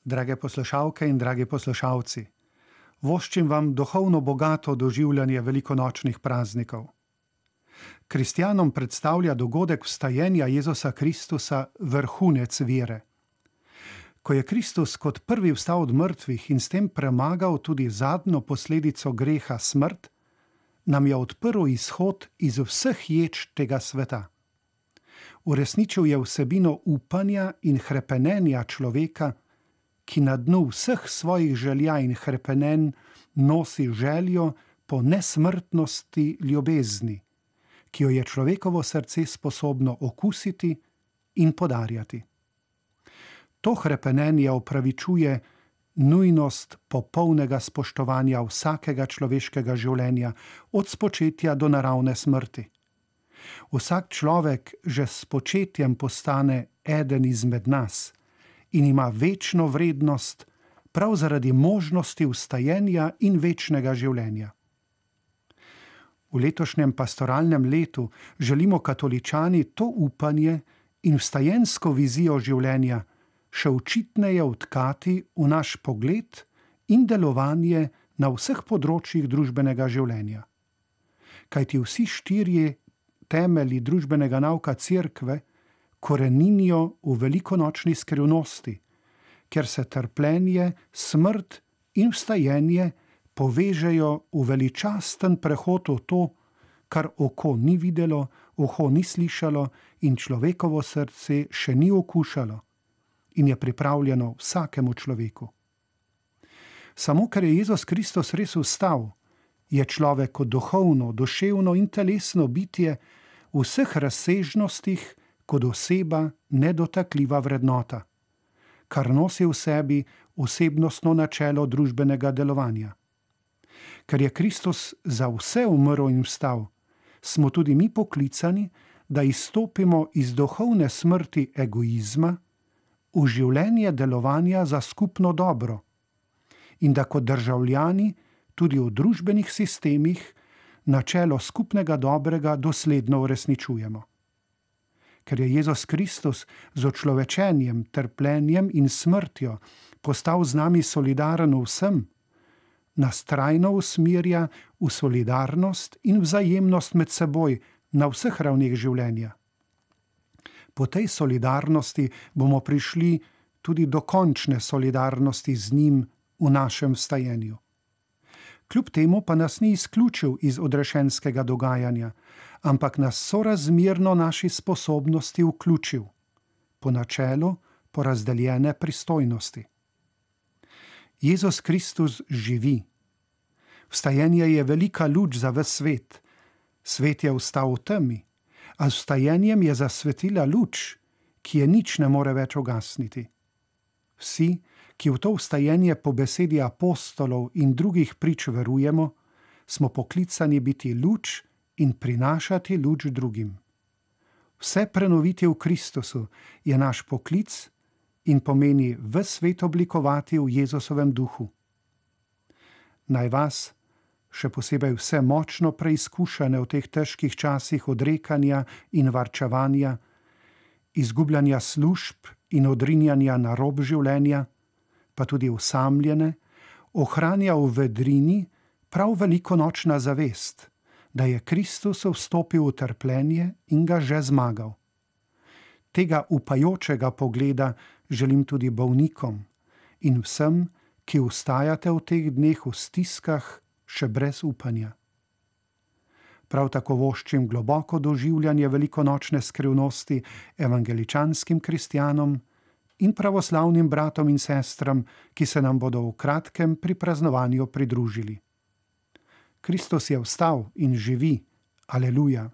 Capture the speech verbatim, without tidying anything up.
Drage poslušalke in dragi poslušalci, voščim vam duhovno bogato doživljanje velikonočnih praznikov. Kristjanom predstavlja dogodek vstajenja Jezusa Kristusa vrhunec vere. Ko je Kristus kot prvi vstal od mrtvih in s tem premagal tudi zadnjo posledico greha smrt, nam je odprl izhod iz vseh ječ tega sveta. Uresničil je vsebino upanja in hrepenenja človeka, ki na dnu vseh svojih želja in hrepenenj nosi željo po nesmrtnosti ljubezni, ki jo je človekovo srce sposobno okusiti in podarjati. To hrepenenje opravičuje nujnost popolnega spoštovanja vsakega človeškega življenja od spočetja do naravne smrti. Vsak človek že s spočetjem postane eden izmed nas in ima večno vrednost prav zaradi možnosti vstajenja in večnega življenja. V letošnjem pastoralnem letu želimo katoličani to upanje in vstajensko vizijo življenja še očitneje vtkati v naš pogled in delovanje na vseh področjih družbenega življenja. Kajti vsi štirje temelji družbenega nauka Cerkve koreninijo v velikonočni skrivnosti, ker se trpljenje, smrt in vstajenje povežejo v veličasten prehod v to, kar oko ni videlo, uho ni slišalo in človekovo srce še ni okušalo in je pripravljeno vsakemu človeku. Samo ker je Jezus Kristus res vstal, je človek kot duhovno, duševno in telesno bitje v vseh razsežnostih kot oseba nedotakljiva vrednota, kar nosi v sebi osebnostno načelo družbenega delovanja. Ker je Kristus za vse umrl in vstal, smo tudi mi poklicani, da izstopimo iz duhovne smrti egoizma v življenje delovanja za skupno dobro in da kot državljani tudi v družbenih sistemih načelo skupnega dobrega dosledno uresničujemo. Ker je Jezus Kristus z očlovečenjem, trpljenjem in smrtjo postal z nami solidaren vsem, nas trajno usmerja v solidarnost in vzajemnost med seboj na vseh ravneh življenja. Po tej solidarnosti bomo prišli tudi do končne solidarnosti z njim v našem vstajenju. Kljub temu pa nas ni izključil iz odrešenskega dogajanja, ampak nas sorazmerno naši sposobnosti vključil, po načelu porazdeljene pristojnosti. Jezus Kristus živi. Vstajenje je velika luč za ves svet. Svet je vstal v temi, a z vstajenjem je zasvetila luč, ki je nič ne more več ugasniti. Vsi, ki v to vstajenje po besedi apostolov in drugih prič verujemo, smo poklicani biti luč in prinašati luč drugim. Vse prenoviti v Kristusu je naš poklic in pomeni ves svet oblikovati v Jezusovem duhu. Naj vas, še posebej vse močno preizkušane v teh težkih časih odrekanja in varčevanja, izgubljanja služb in odrinjanja na rob življenja, pa tudi osamljene, ohranja v vedrini prav velikonočna zavest, da je Kristus vstopil v trpljenje in ga že zmagal. Tega upajočega pogleda želim tudi bolnikom in vsem, ki vstajate v teh dneh v stiskah še brez upanja. Prav tako voščim globoko doživljanje velikonočne skrivnosti evangeličanskim kristjanom in pravoslavnim bratom in sestram, ki se nam bodo v kratkem pri praznovanju pridružili. Kristus je vstal in živi. Aleluja.